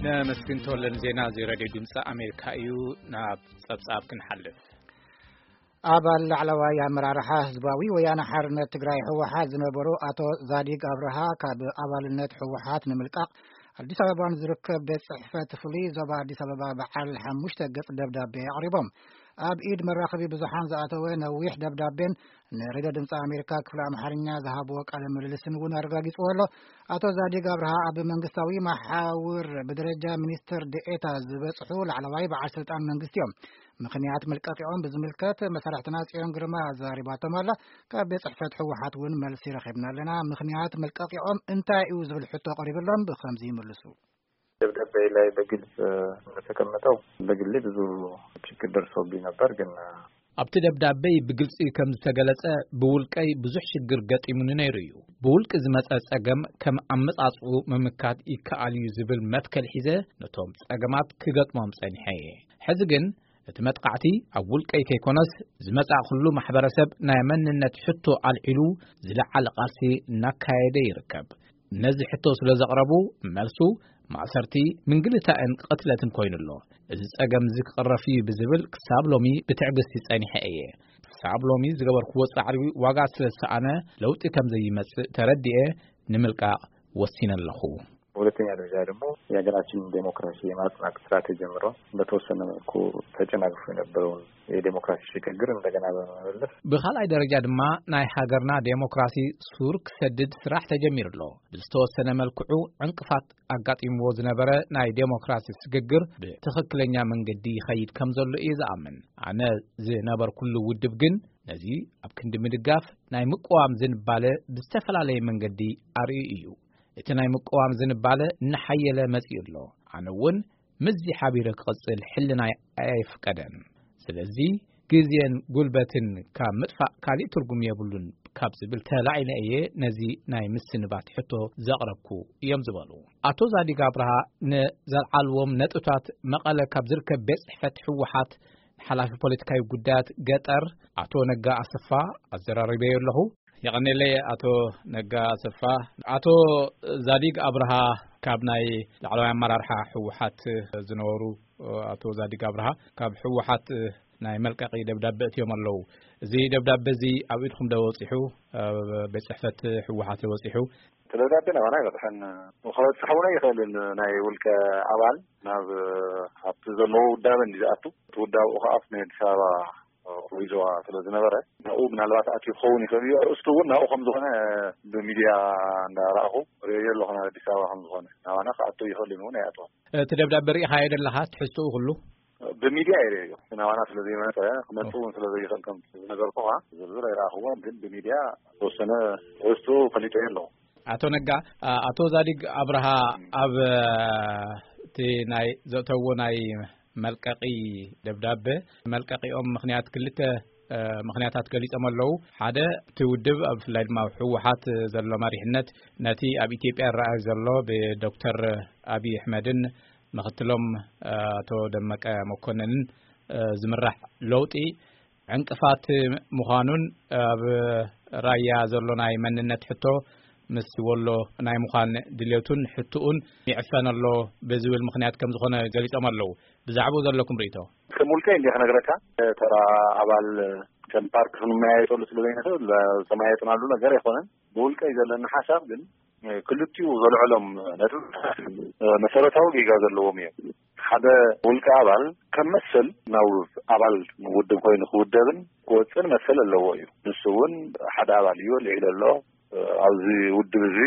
ነመስግን ተወለን። ዜና እዚ ሬድዮ ድምፂ ኣሜሪካ እዩ። ናብ ጸብጻብ ክንሓልፍ። ኣባል ላዕለዋይ ኣመራርሓ ህዝባዊ ወያነ ሓርነት ትግራይ ህወሓት ዝነበሩ ኣቶ ዛዲግ ኣብርሃ ካብ ኣባልነት ህወሓት ንምልቃቕ ኣዲስ ኣበባ ንዝርከብ ቤት ጽሕፈት ፍሉይ ዞባ ኣዲስ ኣበባ በዓል ሓሙሽተ ገጽ ደብዳቤ ኣቕሪቦም። ኣብ ኢድ መራኸቢ ብዙሓን ዝኣተወ ነዊሕ ደብዳቤን ንሬድዮ ድምፂ ኣሜሪካ ክፍሊ ኣምሓርኛ ዝሃብዎ ቃለ ምልልስን እውን ኣረጋጊጽዎ ኣሎ። ኣቶ ዛዲግ ኣብርሃ ኣብ መንግስታዊ መሓውር ብደረጃ ሚኒስትር ዴኤታ ዝበጽሑ ላዕለዋይ በዓል ስልጣን መንግስቲ እዮም። ምኽንያት መልቀቂኦም ብዝምልከት መሳርሕትና ጽዮን ግርማ ኣዛሪባቶም ኣላ። ካብ ቤት ጽሕፈት ህወሓት እውን መልሲ ረኺብና ኣለና። ምኽንያት መልቀቂኦም እንታይ እዩ ዝብል ሕቶ ቀሪብሎም ብኸምዚ ይምልሱ። ደብዳቤ ላይ በግልጽ እንደተቀመጠው በግሌ ብዙ ችግር ደርሶብኝ ነበር፣ ግን ኣብቲ ደብዳቤይ ብግልጺ ከም ዝተገለጸ፣ ብውልቀይ ብዙሕ ሽግር ገጢሙኒ ነይሩ እዩ። ብውልቂ ዝመጸ ጸገም ከም ኣመጻጽኡ ምምካት ይከኣል እዩ ዝብል መትከል ሒዘ ነቶም ጸገማት ክገጥሞም ጸኒሐ እየ። ሕዚ ግን እቲ መጥቃዕቲ ኣብ ውልቀይ ከይኮነስ፣ ዝመጻእኩሉ ማሕበረሰብ ናይ መንነት ሕቶ ኣልዒሉ ዝለዓለ ቃልሲ እናካየደ ይርከብ። ነዚ ሕቶ ስለ ዘቕረቡ፣ መልሱ ማእሰርቲ፣ ምንግልታዕን ቅትለትን ኮይኑ ኣሎ። እዚ ጸገም እዚ ክቕረፍ እዩ ብዝብል ክሳብ ሎሚ ብትዕግስቲ ጸኒሐ እየ። ክሳብ ሎሚ ዝገበርክዎ ጻዕሪ ዋጋ ስለ ዝሰኣነ፣ ለውጢ ከም ዘይመጽእ ተረዲኤ ንምልቃቕ ወሲነ ኣለኹ። በሁለተኛ ደረጃ ደግሞ የሀገራችንን ዴሞክራሲ የማጽናት ስራ ተጀምሮ በተወሰነ መልኩ ተጨናግፎ የነበረውን የዴሞክራሲ ሽግግር እንደገና በመመለስ፣ ብኻልኣይ ደረጃ ድማ ናይ ሃገርና ዴሞክራሲ ሱር ክሰድድ ስራሕ ተጀሚሩ ኣሎ። ብዝተወሰነ መልክዑ ዕንቅፋት ኣጋጢምዎ ዝነበረ ናይ ዴሞክራሲ ስግግር ብትኽክለኛ መንገዲ ይኸይድ ከም ዘሎ እየ ዝኣምን። ኣነ ዝነበርኩሉ ውድብ ግን ነዚ ኣብ ክንዲ ምድጋፍ ናይ ምቅዋም ዝንባለ ብዝተፈላለየ መንገዲ ኣርእዩ እዩ። እቲ ናይ ምቅዋም ዝንባለ እናሓየለ መጺኡ ኣሎ። ኣነ እውን ምስዚ ሓቢረ ክቕጽል ሕልናይ ኣየፍቀደን። ስለዚ ግዜን ጉልበትን ካብ ምጥፋእ ካሊእ ትርጉም የብሉን ካብ ዝብል ተላዒለ እየ ነዚ ናይ ምስንባት ሕቶ ዘቕረብኩ እዮም ዝበሉ ኣቶ ዛዲግ ኣብርሃ። ንዘልዓልዎም ነጥብታት መቐለ ካብ ዝርከብ ቤት ጽሕፈት ህወሓት ሓላፊ ፖለቲካዊ ጉዳያት ገጠር ኣቶ ነጋ ኣሰፋ ኣዘራሪበዮ ኣለኹ። የቐኔለይ ኣቶ ነጋ ኣሰፋ። ኣቶ ዛዲግ ኣብርሃ ካብ ናይ ላዕለዋይ ኣመራርሓ ህወሓት ዝነበሩ ኣቶ ዛዲግ ኣብርሃ ካብ ህወሓት ናይ መልቀቂ ደብዳበ እትዮም ኣለዉ። እዚ ደብዳበ እዚ ኣብ ኢድኩም ዶ በጺሑ? ኣብ ቤት ጽሕፈት ህወሓት ዶ በጺሑ? እቲ ደብዳቤ ናባና ኣይበጽሐን። ክበጽሕ እውን ኣይኽእልን። ናይ ውልቀ ኣባል ናብ ኣብቲ ዘለዎ ውዳበ እንዲ ዝኣቱ፣ እቲ ውዳበኡ ከዓ ናይ ኣዲስ ኣበባ ወይ ዞባ ስለ ዝነበረ፣ ናብኡ ምናልባት ኣትዩ ክኸውን ይኽእል እዩ። ኣርእስቱ እውን ናብኡ ከም ዝኾነ ብሚድያ እንዳረኣኹ ርእዮ ኣለኹ፣ ናብ ኣዲስ ኣበባ ከም ዝኾነ። ናባና ክኣቱ ይኽእልን እውን ኣይኣተወን። እቲ ደብዳቤ ርኢኻዮ ደለኻ? ትሕዝትኡ ኩሉ? ብሚድያ እየ ርእዮ። ናባና ስለ ዘይመጸ፣ ክመጽእ እውን ስለ ዘይኽእል፣ ከም ዝነገርኩኻ፣ ዝርዝር ኣይረኣኽዎን፣ ግን ብሚድያ ዝተወሰነ ትሕዝትኡ ፈሊጠዮ ኣለኹ። ኣቶ ነጋ፣ ኣ-፣ ኣቶ ዛዲግ ኣብርሃ ኣብ፣ እ፣ እቲ ናይ ዘእተዎ ናይ መልቀቂ ደብዳበ፣ መልቀቂኦም ምኽንያት ክልተ፣ እ፣ ምኽንያታት ገሊጾም ኣለዉ። ሓደ፣ እቲ ውድብ፣ ኣብ፣ ብፍላይ ድማ ኣብ ህወሓት ዘሎ መሪሕነት፣ ነቲ ኣብ ኢትዮጵያ ይረኣይ ዘሎ ብዶክተር ኣብይ ኣሕመድን ምኽትሎም፣ እ፣ ኣቶ ደመቀ መኮንንን፣ እ፣ ዝምራሕ ለውጢ ዕንቅፋት ምዃኑን፣ ኣብ ራያ ዘሎ ናይ መንነት ሕቶ ምስ ወሎ ናይ ምዃን ድሌቱን ሕትኡን ይዕፈን ኣሎ ብዝብል ምኽንያት ከም ዝኾነ ገሊጾም ኣለዉ። ብዛዕባኡ ዘለኩም ርእይቶ? ከም ውልቀይ እንዲየ ክነግረካ፣ ተራ ኣባል ከም ፓርቲ ክንመያየጠሉ ስለ ዘይንኽእል፣ ዝተመያየጥናሉ ነገር ኣይኮነን። ብውልቀይ ዘለኒ ሓሳብ ግን፣ ክልቲኡ ዘልዕሎም ነጥብታት መሰረታዊ ጌጋ ዘለዎም እዮም። ሓደ ውልቀ ኣባል ከም መሰል ናብ ኣባል ውድብ ኮይኑ ክውደብን ክወፅን መሰል ኣለዎ እዩ። ንሱ እውን ሓደ ኣባል እዩ፣ ልዒሉ ኣሎ። ኣብዚ ውድብ እዚ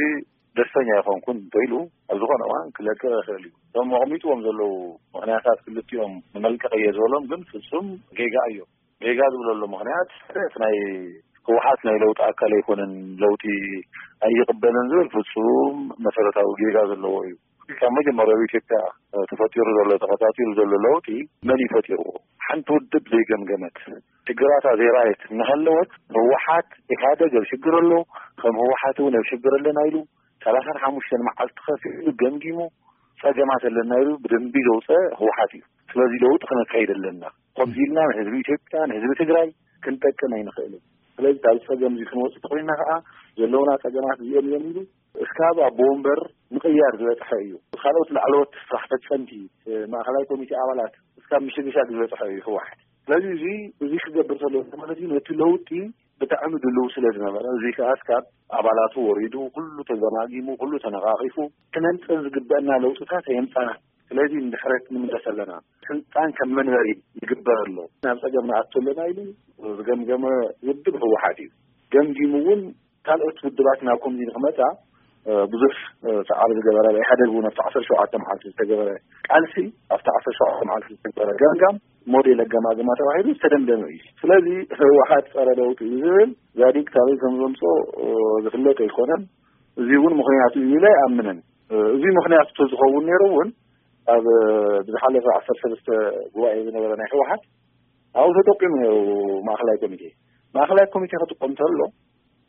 ደስተኛ ኣይኮንኩን እንተኢሉ ኣብ ዝኾነ እዋን ክለቅቕ ይኽእል እዩ። እቶም ኣቕሚጥዎም ዘለዉ ምኽንያታት ክልቲኦም ንመልቀቕ እየ ዝበሎም ግን ፍጹም ጌጋ እዮም። ጌጋ ዝብለሉ ምኽንያት እቲ ናይ ህወሓት ናይ ለውጢ ኣካል ኣይኮነን፣ ለውጢ ኣይቕበልን ዝብል ፍጹም መሰረታዊ ጌጋ ዘለዎ እዩ። ካብ መጀመርያ ኣብ ኢትዮጵያ ተፈጢሩ ዘሎ፣ ተኸታቲሉ ዘሎ ለውጢ መን እዩ ፈጢርዎ? ሓንቲ ውድብ ዘይገምገመት፣ ሽግራታ ዘይረኣየት እናሃለወት፣ ህወሓት፣ ኢህኣደግ ኣብ ሽግር ኣሎ፣ ከም ህወሓት እውን ኣብ ሽግር ኣለና ኢሉ ሰላሳን ሓሙሽተን መዓልቲ ከፊሉ ገምጊሙ፣ ጸገማት ኣለና ኢሉ ብደንቢ ዘውፀ ህወሓት እዩ። ስለዚ ለውጢ ክነካይድ ኣለና። ከምዚ ኢልና ንህዝቢ ኢትዮጵያ፣ ንህዝቢ ትግራይ፣ ክንጠቅም ኣይንኽእልን። ስለዚ ካብ ጸገም እዚ ክንወጽእ ተኾይንና ከዓ ዘለውና ጸገማት እዚኦም እዮም ኢሉ እስካብ ኣቦ ወንበር ምቕያር ዝበጽሐ እዩ። ካልኦት ላዕለዎት ስራሕ ፈጸምቲ፣ ማእኸላይ ኮሚቴ ኣባላት እስካብ ምሽግሻግ ዝበጽሐ እዩ ህወሓት። ስለዚ እዚ፣ እዚ ክገብር ተሎ ማለት እዩ ነቲ ለውጢ ብጣዕሚ ድልው ስለ ዝነበረ፣ እዚ ከዓ እስካብ ኣባላቱ ወሪዱ፣ ኩሉ ተገማጊሙ፣ ኩሉ ተነቓቒፉ፣ ክነምፅእ ዝግበአና ለውጥታት ኣየምፃና። ስለዚ ንድሕረት ንምለስ ኣለና። ስልጣን ከም መንበሪ ይግበር ኣሎ። ናብ ጸገም ንኣቱ ኣለና ኢሉ ዝገምገመ ውድብ ህወሓት እዩ። ገምጊሙ እውን ካልኦት ውድባት ናብ ኮሚቴ ንክመጻ፣ እ፣ ብዙሕ፣ እ፣ ጻዕሪ ዝገበረ፣ ኢህኣደግ እውን ኣብቲ ዓሰርተ ሸውዓተ መዓልቲ ዝተገበረ ቃልሲ፣ ኣብቲ ዓሰርተ ሸውዓተ መዓልቲ ዝተገበረ ገምጋም ሞዴል ኣገማግማ ተባሂሉ ዝተደምደመ እዩ። ስለዚ ህወሓት ጸረ ለውጢ እዩ ዝብል ዛዲግ ካበይ ከም ዘምጾ፣ እ፣ ዝፍለጥ ኣይኮነን። እዚ እውን ምኽንያቱ እዩ ኢለ ኣይኣምንን። እ፣ እዚ ምኽንያቱ ተዝኸውን ነይሩ እውን ኣብ፣ እ፣ ብዝሓለፈ ዓሰርተ ሰለስተ ጉባኤ ዝነበረ ናይ ህወሓት ኣብኡ ተጠቂሙ ነይሩ ማእኸላይ ኮሚቴ። ማእኸላይ ኮሚቴ ክጥቀም ተሎ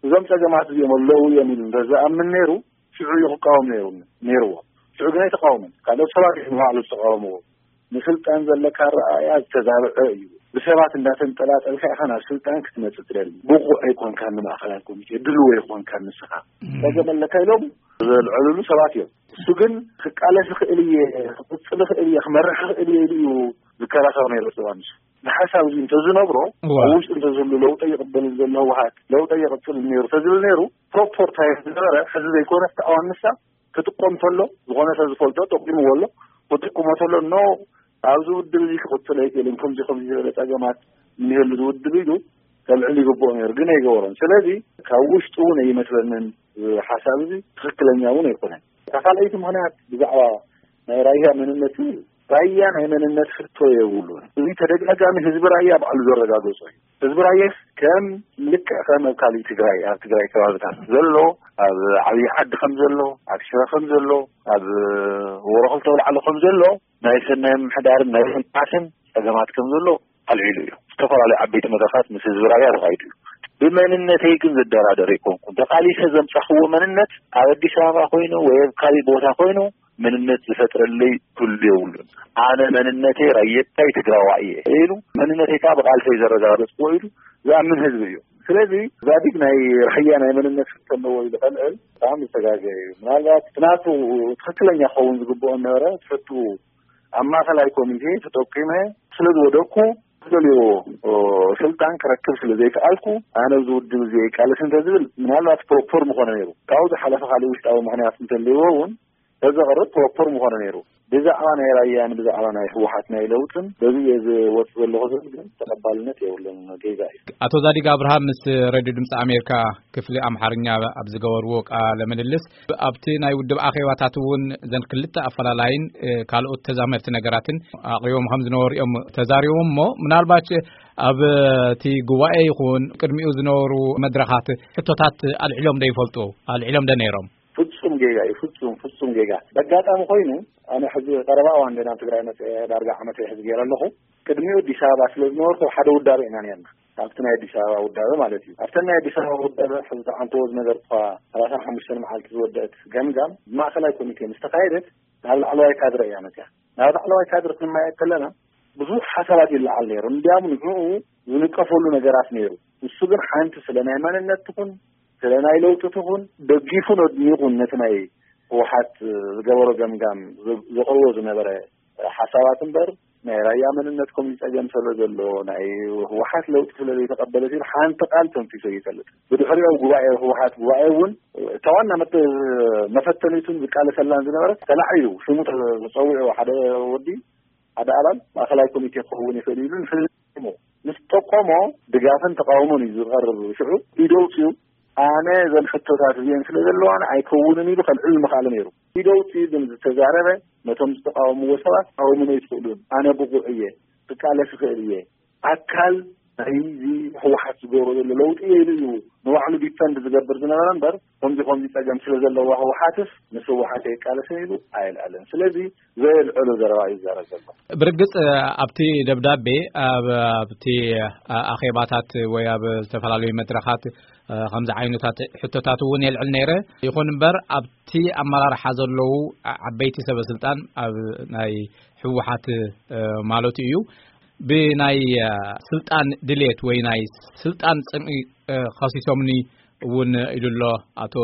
እዞም ጸገማት እዚኦም ኣለዉ እዮም ኢሉ እንተዝኣምን ነይሩ ሽዑ እዩ ክቃወም ነይሩ፣ ነይርዎ። ሽዑ ግን ኣይተቃወመን። ካልኦት ሰባት እዮም ንባዕሉ ዝተቃወምዎ። ንስልጣን ዘለካ ኣረኣእያ ዝተዛብዐ እዩ። ብሰባት እንዳተንጠላጠልካ ኢኻ ናብ ስልጣን ክትመጽእ ትደሊ። ብቑዕ ኣይኮንካን ንማእኸላይ ኮሚቴ፣ ድልው ኣይኮንካን ንስኻ። እም። ጸገም ኣለካ ኢሎም ዘልዐሉሉ ሰባት እዮም። እሱ ግን ክቃለስ ይኽእል እየ፣ ክቕጽል ይኽእል እየ፣ ክመርሕ ይኽእል እየ ኢሉ እዩ ዝከራኸር ነይሩ። ዮሃንስ ንሓሳብ እዚ እንተዝነብሮ፣ እዋ። ኣብ ውሽጡ እንተዝህሉ ለውጠ ይቕበል ዘሎ ህወሓት ለውጠ ይቕጽል ነይሩ ተዝብል ነይሩ ፕሮፖር ታይም ዝነበረ ሕዚ ዘይኮነ ተቃዋሚ ንሳ ክጥቀም ተሎ ዝኾነ ሰብ ዝፈልጦ ጠቂምዎ ኣሎ። ክጥቀሞ ተሎ ኖ ኣብዚ ውድብ እዚ ክቕጽል ኣይክእልን፣ ከምዚ ከምዚ ዝበለ ጸገማት እንህሉ ዝውድብ ኢሉ ከልዕል ይግብኦ ነይሩ፣ ግን ኣይገበሮን። ስለዚ ካብ ውሽጡ እውን ኣይመስለንን ሓሳብ እዚ ትኽክለኛ እውን ኣይኮነን። እታ ካልኣይቲ ምኽንያት ብዛዕባ ናይ ራያ መንነት ይብል፣ ራያ ናይ መንነት ሕቶ የብሉን። እዚ ተደጋጋሚ ህዝቢ ራያ ባዕሉ ዘረጋገጾ እዩ። ህዝቢ ራያ ከም ልክዕ ከም ኣብ ካሊእ ትግራይ፣ ኣብ ትግራይ ከባብታት ዘሎ፣ ኣብ ዓብዪ ዓዲ ከም ዘሎ፣ ኣብ ሽረ ከም ዘሎ፣ ኣብ ወረኽልተ ኣውላዕሎ ከም ዘሎ ናይ ሰናይ ምምሕዳርን ናይ ልምዓትን ጸገማት ከም ዘሎ ኣልዒሉ እዩ። ዝተፈላለዩ ዓበይቲ መድረኻት ምስ ህዝቢ ራያ ተኻይዱ እዩ። ብመንነተይ ግን ዝደራደር ኣይኮንኩን። ተቓሊሰ ዘምጻኽዎ መንነት ኣብ ኣዲስ ኣበባ ኮይኑ ወይ ኣብ ካሊእ ቦታ ኮይኑ መንነት ዝፈጥረለይ ክህሉ የብሉን። ኣነ መንነተይ ራየታይ ትግራዋይ እየ ኢሉ መንነተይ ከዓ ብቓልሰይ ዘረጋገጽኩዎ ኢሉ ዝኣምን ህዝቢ እዩ። ስለዚ ዛዲግ ናይ ራያ ናይ መንነት ሕቶ ኣለዎ ኢሉ ከልዕል ብጣዕሚ ዝተጋገየ እዩ። ምናልባት ናቱ ትኽክለኛ ክኸውን ዝግብኦ ነበረ ትሕቱ ኣብ ማእኸላይ ኮሚቴ ተጠቂመ ስለ ዝወደቅኩ ዝደልዮ ስልጣን ክረክብ ስለ ዘይከኣልኩ ኣነ ኣብዚ ውድብ እዚ ይቃለስ እንተዝብል ምናልባት ፕሮፖር ምኾነ ነይሩ። ካብኡ ዝሓለፈ ካልእ ውሽጣዊ ምኽንያት እንተልይዎ እውን ተዘቕርብ ፕሮፖር ምኾነ ነይሩ። ብዛዕባ ናይ ራያን ብዛዕባ ናይ ህወሓት ናይ ለውጥን በዚ እየ ዝወፅ ዘለኹ ዝብል ግን ተቐባልነት የብሉን። ጌጋ እዩ። ኣቶ ዛዲግ ኣብርሃም ምስ ሬድዮ ድምፂ ኣሜሪካ ክፍሊ ኣምሓርኛ ኣብ ዝገበርዎ ቃለ ምልልስ ኣብቲ ናይ ውድብ ኣኼባታት እውን ዘን ክልተ ኣፈላላይን እ፣ ካልኦት ተዛመርቲ ነገራትን ኣቕሪቦም ከም ዝነበሩ እዮም ተዛሪቦም። እሞ ምናልባት ኣብ እቲ ጉባኤ ይኹን ቅድሚኡ ዝነበሩ መድረኻት ሕቶታት ኣልዒሎም ዶ ይፈልጡ? ኣልዒሎም ዶ ነይሮም? ፍጹም ጌጋ እዩ። ፍጹም ፍጹም ጌጋ። በጋጣሚ ኮይኑ ኣነ ሕዚ ቀረባ እዋን እንደ ናብ ትግራይ መፅአ ዳርጋ ዓመት ሕዚ ገይረ ኣለኹ። ቅድሚኡ ኣዲስ ኣበባ ስለ ዝነበርኩ ሓደ ውዳበ ኢና ነርና። ኣብቲ ናይ ኣዲስ ኣበባ ውዳበ ማለት እዩ። ኣብተን ናይ ኣዲስ ኣበባ ውዳበ ሕዚ ተዓንተዎ ዝነገርኩኻ ሰላሳን ሓሙሽተን መዓልቲ ዝወደአት ገምጋም ብማእኸላይ ኮሚቴ ምስ ተኻየደት ናብ ላዕለዋይ ካድረ እያ መፅያ። ናብ ላዕለዋይ ካድረ ክንመያየጥ ከለና ብዙሕ ሓሳባት ይለዓል ነይሩ። እንዲያም ንዕኡ ዝንቀፈሉ ነገራት ነይሩ። ንሱ ግን ሓንቲ ስለ ናይ መንነት ትኹን ስለ ናይ ለውጢ ትኹን ደጊፉን ኣድኒቑን ነቲ ናይ ህወሓት ዝገበሮ ገምጋም ዘቕርቦ ዝነበረ ሓሳባት እምበር ናይ ራያ መንነት ከምዚ ጸገም ስለ ዘሎ ናይ ህወሓት ለውጢ ስለ ዘይተቐበለት ኢሉ ሓንቲ ቃል ተንፊሱ ይፈልጥ። ብድሕሪኡ ጉባኤ ህወሓት ጉባኤ እውን እታ ዋና መተ- መፈተኒቱን ዝቃለሰላን ዝነበረ ተላዒሉ ሽሙ ተፀዊዑ ሓደ ወዲ ሓደ ኣባል ማእኸላይ ኮሚቴ ክኸውን ይኽእል ኢሉ ንሕዝሞ ምስ ጠቆሞ ድጋፍን ተቃውሞን እዩ ዝቐርብ። ሽዑ ኢደውፅኡ ኣነ እዘን ሕቶታት እዚአን ስለ ዘለዋን ኣይከውንን ኢሉ ከልዕል ምኽኣለ ነይሩ። ኢደውፅኡ ግን ዝተዛረበ ነቶም ዝተቃወምዎ ሰባት ተቃውሙኒ ኣይትኽእሉን፣ ኣነ ብቑዕ እየ፣ ክቃለስ ይኽእል እየ፣ ኣካል ናይዚ ህወሓት ዝገብሮ ዘሎ ለውጢ እየ ኢሉ እዩ ንባዕሉ ዲፈንድ ዝገብር ዝነበረ እምበር ከምዚ ከምዚ ፀገም ስለ ዘለዋ ህወሓትስ ምስ ህወሓት ኣይቃለስን ኢሉ ኣየልዐለን። ስለዚ ዘየልዐሎ ዘረባ እዩ ዝዛረብ ዘሎ። ብርግጽ ኣብቲ ደብዳቤ ኣብ ኣብቲ ኣኼባታት ወይ ኣብ ዝተፈላለዩ መድረኻት ከምዚ ዓይነታት ሕቶታት እውን የልዕል ነይረ። ይኹን እምበር ኣብቲ ኣመራርሓ ዘለዉ ዓበይቲ ሰበ ስልጣን ኣብ ናይ ህወሓት ማለቱ እዩ ብናይ ስልጣን ድሌት ወይ ናይ ስልጣን ፅምኢ ከሲሶምኒ እውን ኢሉ ኣሎ ኣቶ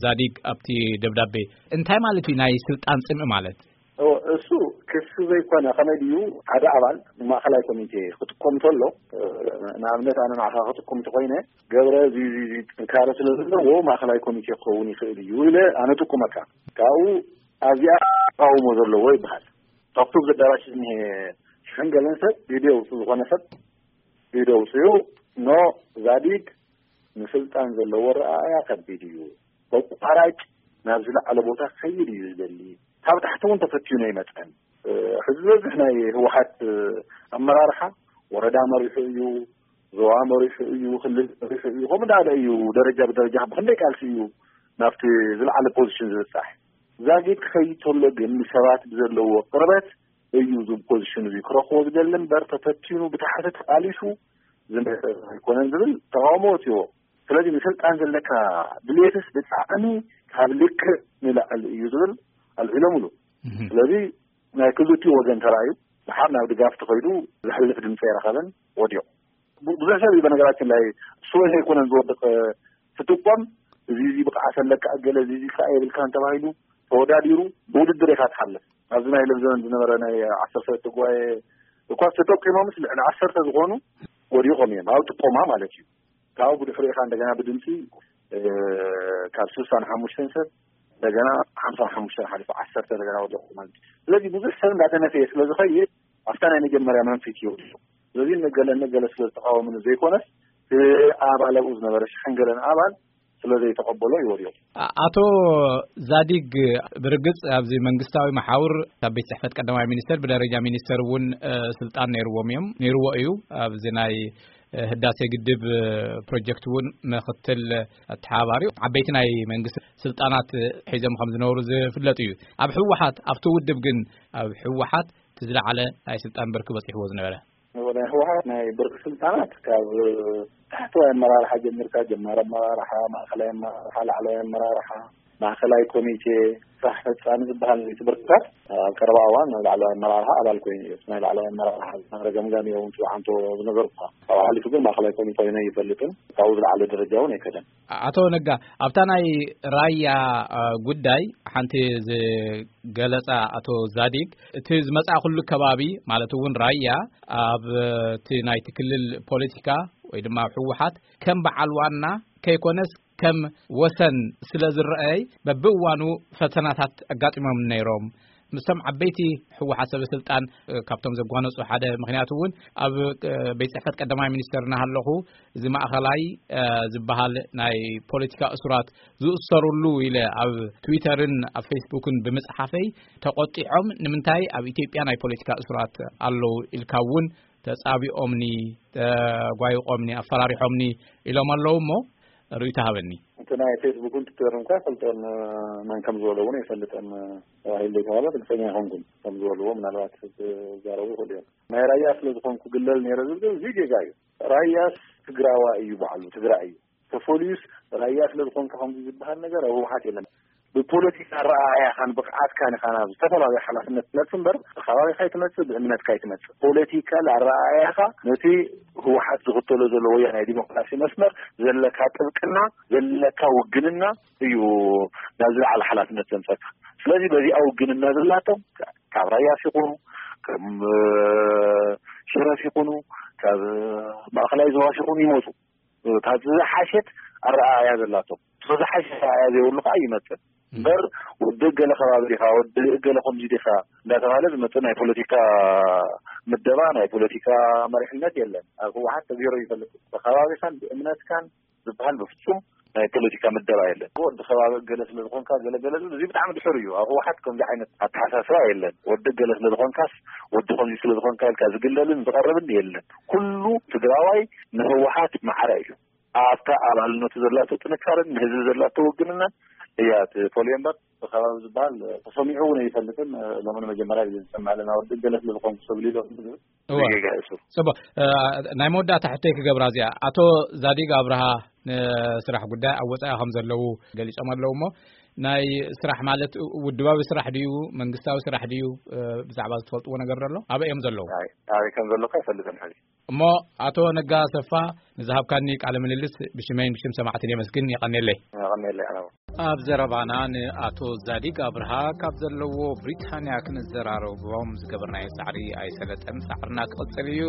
ዛዲግ ኣብቲ ደብዳቤ። እንታይ ማለት እዩ ናይ ስልጣን ፅምኢ ማለት? እሱ ክሲ ዘይኮነ ከመይ ድዩ? ሓደ ኣባል ማእኸላይ ኮሚቴ ክጥቆም ከሎ፣ ንኣብነት ኣነ ንዓኻ ክጥቆም እንተኮይነ፣ ገብረ እዚ እዚ ጥንካረ ስለ ዘለዎ ማእኸላይ ኮሚቴ ክኸውን ይኽእል እዩ ኢለ ኣነ ጥቁመካ። ካብኡ ኣብዚኣ ተቃውሞ ዘለዎ ይበሃል። ካብቱ ኣብዚ ኣዳራሽ ዝኒሀ ሽሕን ገለን ሰብ ቪድዮ ውፁ፣ ዝኾነ ሰብ ቪድዮ ውፅኡ፣ ኖ፣ ዛዲግ ንስልጣን ዘለዎ ረኣያ ከቢድ እዩ፣ በቋራጭ ናብ ዝለዓለ ቦታ ክኸይድ እዩ ዝደሊ። ካብ ታሕቲ እውን ተፈትዩ ናይ መፀን። ሕዚ ዝበዝሕ ናይ ህወሓት ኣመራርሓ ወረዳ መሪሑ እዩ፣ ዞባ መሪሑ እዩ፣ ክልል መሪሑ እዩ፣ ከምኡ እንዳለ እዩ ደረጃ ብደረጃ ብክንደይ ቃልሲ እዩ ናብቲ ዝለዓለ ፖዚሽን ዝብፃሕ። ዛጊድ ክኸይድ ተሎ ግን ንሰባት ብዘለዎ ቅርበት እዩ እዚ ፖዚሽን እዚ ክረኽቦ ዝደሊ እምበር ተፈቲኑ ብታሕቲ ተቃሊሱ ዝመፀ ኣይኮነን ዝብል ተቃውሞ ወፂዎ። ስለዚ ንስልጣን ዘለካ ድሌትስ ብጣዕሚ ካብ ልክዕ ንላዕሊ እዩ ዝብል ኣልዒሎምሉ። ስለዚ ናይ ክልቲኡ ወገን ተራእዩ ድሓር ናብ ድጋፍ ተኸይዱ ዘሕልፍ ድምፂ ኣይረኸበን፣ ወዲቑ። ብዙሕ ሰብ እዩ በነገራችን ላይ እሱ ዘይኮነን ዝወድቕ ትጥቆም፣ እዚ እዚ ብቕዓት ኣለካ እገለ እዚ እዚ ከዓ የብልካን ተባሂሉ ተወዳዲሩ ብውድድር ኢኻ ትሓልፍ። ኣብዚ ናይ ለምዘመን ዝነበረ ናይ ዓሰርተ ሰለስተ ጉባኤ እኳ ተጠቂሞምስ ልዕሊ ዓሰርተ ዝኾኑ ወዲቖም እዮም ኣብ ጥቆማ ማለት እዩ። ካብኡ ብድሕሪኡ ኢኻ እንደገና ብድምፂ ካብ ስልሳ ንሓሙሽተ ሰብ እንደገና ሓምሳ ንሓሙሽተ ሓሊፉ ዓሰርተ እንደገና ወዲቑ ማለት እዩ። ስለዚ ብዙሕ ሰብ እንዳተነፈየ ስለ ዝኸይድ ኣብታ ናይ መጀመርያ መንፊት እዩ ወዲቑ። ስለዚ ንገለ ንገለ ስለ ዝተቃወምኒ ዘይኮነስ እቲ ኣባል ኣብኡ ዝነበረ ሽሕን ገለን ኣባል ስለ ዘይተቐበሎ እዩ ወዲቑ። ኣቶ ዛዲግ ብርግጽ ኣብዚ መንግስታዊ መሓውር ካብ ቤት ጽሕፈት ቀዳማይ ሚኒስተር ብደረጃ ሚኒስተር እውን ስልጣን ነይርዎም እዮም፣ ነይርዎ እዩ። ኣብዚ ናይ ህዳሴ ግድብ ፕሮጀክት እውን ምክትል ኣተሓባባሪ ዓበይቲ ናይ መንግስቲ ስልጣናት ሒዞም ከም ዝነበሩ ዝፍለጥ እዩ። ኣብ ህወሓት ኣብቲ ውድብ ግን ኣብ ህወሓት እቲ ዝለዓለ ናይ ስልጣን ብርኪ በፂሕዎ ዝነበረ ናይ ህወሓት ናይ ብርኪ ስልጣናት ካብ ታሕተዋይ ኣመራርሓ ጀሚርካ ጀማሪ ኣመራርሓ፣ ማእኸላይ ኣመራርሓ፣ ላዕለዋይ ኣመራርሓ፣ ማእኸላይ ኮሚቴ፣ ስራሕ ፈፃሚ ዝበሃል እቲ ብርክታት ኣብ ቀረባ እዋን ናይ ላዕለዋይ ኣመራርሓ ኣባል ኮይኑ እዩ። ናይ ላዕለዋይ ኣመራርሓ ዝነበረ ገምጋም እዮም ትብዓንቶ ዝነበርኩ። ካብኡ ሓሊፉ ግን ማእኸላይ ኮሚቴ ኮይኑ ኣይፈልጥን። ካብኡ ዝለዓለ ደረጃ እውን ኣይከደን። ኣቶ ነጋ፣ ኣብታ ናይ ራያ ጉዳይ ሓንቲ ዝገለጻ ኣቶ ዛዲግ፣ እቲ ዝመጻእኩሉ ከባቢ ማለት እውን ራያ ኣብ እቲ ናይቲ ክልል ፖለቲካ ወይ ድማ ኣብ ህወሓት ከም በዓል ዋና ከይኮነስ ከም ወሰን ስለ ዝረኣይ በብእዋኑ ፈተናታት ኣጋጢሞም ነይሮም። ምስቶም ዓበይቲ ህወሓት ሰበ ስልጣን ካብቶም ዘጓነፁ ሓደ ምክንያት እውን ኣብ ቤት ጽሕፈት ቀዳማይ ሚኒስተር እናሃለኹ እዚ ማእኸላይ ዝበሃል ናይ ፖለቲካ እሱራት ዝእሰሩሉ ኢለ ኣብ ትዊተርን ኣብ ፌስቡክን ብምፅሓፈይ ተቆጢዖም ንምንታይ ኣብ ኢትዮጵያ ናይ ፖለቲካ እሱራት ኣለዉ ኢልካ እውን ተጻቢኦምኒ፣ ተጓይቖምኒ፣ ኣፈራሪሖምኒ ኢሎም ኣለዉ እሞ ርእይቶ ሃበኒ። እቲ ናይ ፌስቡክን ትዊተርን እኳ ይፈልጦን መን ከም ዝበሎ እውን ኣይፈልጥን ተባሂሉ ዘይተባህለ ርግፀኛ ኣይኮንኩን። ከም ዝበልዎ ምናልባት ክዛረቡ ይኽእሉ እዮም። ናይ ራያ ስለ ዝኾንኩ ግለል ነይረ ዝብል እዚ ጌጋ እዩ። ራያስ ትግራዋይ እዩ፣ ባዕሉ ትግራይ እዩ። ተፈልዩስ ራያ ስለ ዝኾንካ ከምዚ ዝበሃል ነገር ኣብ ህወሓት የለን። ብፖለቲካ ኣረኣእያኻን ብቕዓትካን ኢኻ ናብ ዝተፈላለዩ ሓላፍነት ትመጽእ እምበር ብከባቢኻ ኣይትመጽእ፣ ብእምነትካ ኣይትመጽእ። ፖለቲካል ኣረኣእያኻ ነቲ ህወሓት ዝኽተሎ ዘሎ ወያናይ ዲሞክራሲ መስመር ዘለካ ጥብቅና፣ ዘለካ ውግንና እዩ ናብ ዝለዓለ ሓላፍነት ዘምጸካ። ስለዚ በዚኣ ውግንና ዘላቶም ካብ ራያስ ይኹኑ፣ ከም ሽረፍ ይኹኑ፣ ካብ ማእኸላይ ዞባስ ይኹኑ ይመጹ። ካብ ዝሓሸት ኣረኣእያ ዘላቶም፣ ካብ ዝሓሸ ኣረኣእያ ዘይብሉ ከዓ ይመፅእ እምበር ወዲ ገለ ከባቢ ዲኻ፣ ወዲ ገለ ከምዚ ዲኻ እንዳተባሃለ ዝመፅእ ናይ ፖለቲካ ምደባ፣ ናይ ፖለቲካ መሪሕነት የለን። ኣብ ህወሓት ተገይሩ ይፈልጥ። ብከባቢኻን ብእምነትካን ዝበሃል በፍፁም ናይ ፖለቲካ ምደባ የለን። ወዲ ከባቢ ገለ ስለ ዝኾንካ ገለ ገለ ዝብል፣ እዚ ብጣዕሚ ድሑር እዩ። ኣብ ህወሓት ከምዚ ዓይነት ኣተሓሳስባ የለን። ወዲ ገለ ስለ ዝኾንካስ፣ ወዲ ከምዚ ስለ ዝኾንካ ኢልካ ዝግለልን ዝቐርብን የለን። ኩሉ ትግራዋይ ንህወሓት ማዕረ እዩ። ኣብታ ኣባልነቱ ዘላቶ ጥንካረን ንህዝቢ ዘላቶ ውግንናን እያ ትፈልዮ እምበር ብከባቢ ዝበሃል ተሰሚዑ እውን ኣይፈልጥን። ሎሚ ንመጀመርያ ግዜ ዝሰምዕ ኣለና። ወዲ ገለ ስለ ዝኾንኩ ሰብ ኢሎም ዝብል እወ። ጌጋ እዩ እሱ። ጽቡቕ። እ፣ ናይ መወዳእታ ሕቶይ ክገብራ እዚኣ። ኣቶ ዛዲግ ኣብርሃ ንስራሕ ጉዳይ ኣብ ወጻኢ ከም ዘለዉ ገሊጾም ኣለዉ እሞ፣ ናይ ስራሕ ማለት ውድባዊ ስራሕ ድዩ መንግስታዊ ስራሕ ድዩ? ብዛዕባ ዝትፈልጥዎ ነገር ኣሎ ኣበይ እዮም ዘለዉ? ኣበይ ከም ዘለካ ይፈልጥን ሕዚ። እሞ ኣቶ ነጋ ኣሰፋ፣ ንዝሃብካኒ ቃለ ምልልስ ብሽመይን ብሽም ሰማዕትን የመስግን። የቐኔለይ። ቀኔለ ኣነ ኣብ ዘረባና ንኣቶ ዛዲግ ኣብርሃ ካብ ዘለዎ ብሪታንያ ክንዘራረቦም ዝገበርናዮ ጻዕሪ ኣይሰለጠን። ጻዕርና ክቕጽል እዩ።